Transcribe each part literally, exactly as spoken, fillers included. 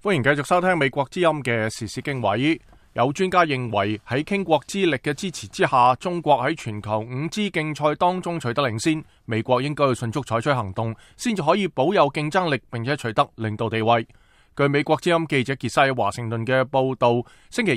歡迎繼續收聽美國之音嘅時事經緯。有專家認為喺傾國之力嘅支持之下，中國喺全球五 G 競賽當中取得領先，美國應該要迅速採取行動，先至可以保有競爭力，並且取得領導地位。據美國之音記者傑西喺華盛頓嘅報道，星期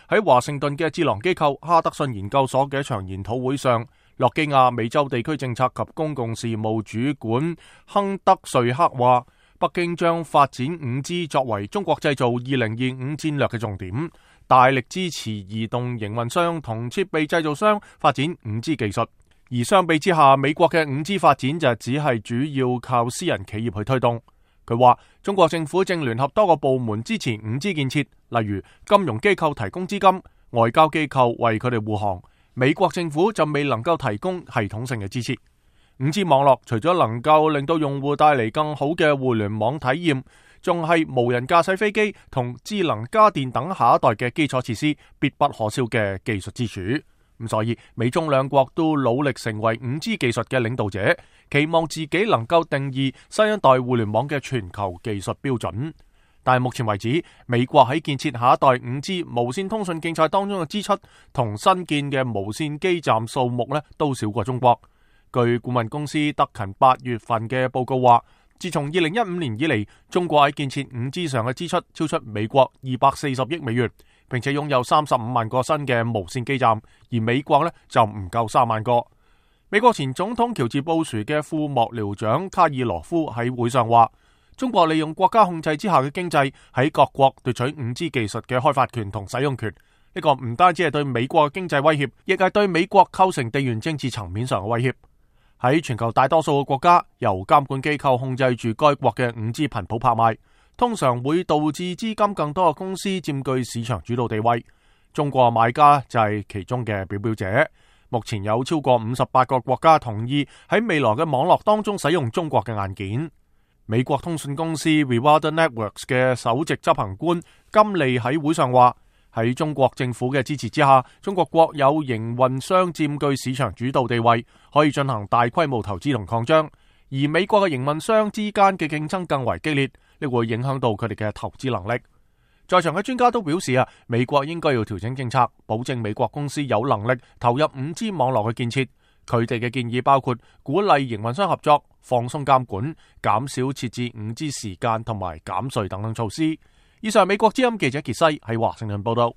二喺華盛頓嘅智囊機構哈德遜研究所嘅一場研討會上，諾基亞美洲地區政策及公共事務主管亨德瑞克話，北京將發展五 G 作為中國製造二零二五戰略嘅重點，大力支持移動營運商同設備製造商發展五 G 技術。而相比之下，美國嘅五 G 發展就只係主要靠私人企業去推動。佢話中國政府正聯合多個部門支持五 G 建設，例如金融機構提供資金，外交機構為佢哋護航，美國政府就未能夠提供系統性嘅支持。五 G 網絡除咗能夠令到用戶帶嚟更好嘅互聯網體驗，仲係無人駕駛飛機同智能家電等下一代嘅基礎設施必不可少嘅技術支柱。咁所以美中兩國都努力成為五 G 技術嘅領導者，期望自己能夠定義新一代互聯網嘅全球技術標準。但係目前為止，美國喺建設下一代五 G 無線通訊競賽當中嘅支出同新建嘅無線基站數目咧都少過中國。據顧問公司德勤八月份嘅報告話，自從二零一五年以嚟，中國喺建設五 G 上嘅支出超出美國二百四十億美元，並且擁有三十五萬個新嘅無線基站，而美國呢就唔夠三萬個。美國前總統喬治布殊嘅副幕僚長卡爾羅夫喺會上話，中國利用國家控制之下嘅經濟喺各國奪取五 G 技術嘅開發權同使用權。呢個唔單止係對美國嘅經濟威脅，亦係對美國構成地緣政治層面上嘅威脅。喺全球大多數嘅國家，由監管機構控制住該國嘅五 G 頻譜拍賣，通常會導致資金更多嘅公司佔據市場主導地位。中國買家就係其中嘅表表者。目前有超過五十八個國家同意喺未來嘅網絡當中使用中國嘅硬件。美國通訊公司 Reward Networks 嘅首席執行官金利喺會上話，喺中國政府嘅支持之下，中國國有營運商佔據市場主導地位，可以進行大規模投資同擴張。而美國嘅營運商之間嘅競爭更為激烈，呢會影響到佢哋嘅投資能力。在場嘅專家都表示啊，美國應該要調整政策，保證美國公司有能力投入五 G 網絡嘅建設。佢哋嘅建議包括鼓勵營運商合作、放鬆監管、減少設置五 G 時間同埋減稅等等措施。以上美國之音記者傑西喺華盛頓報道。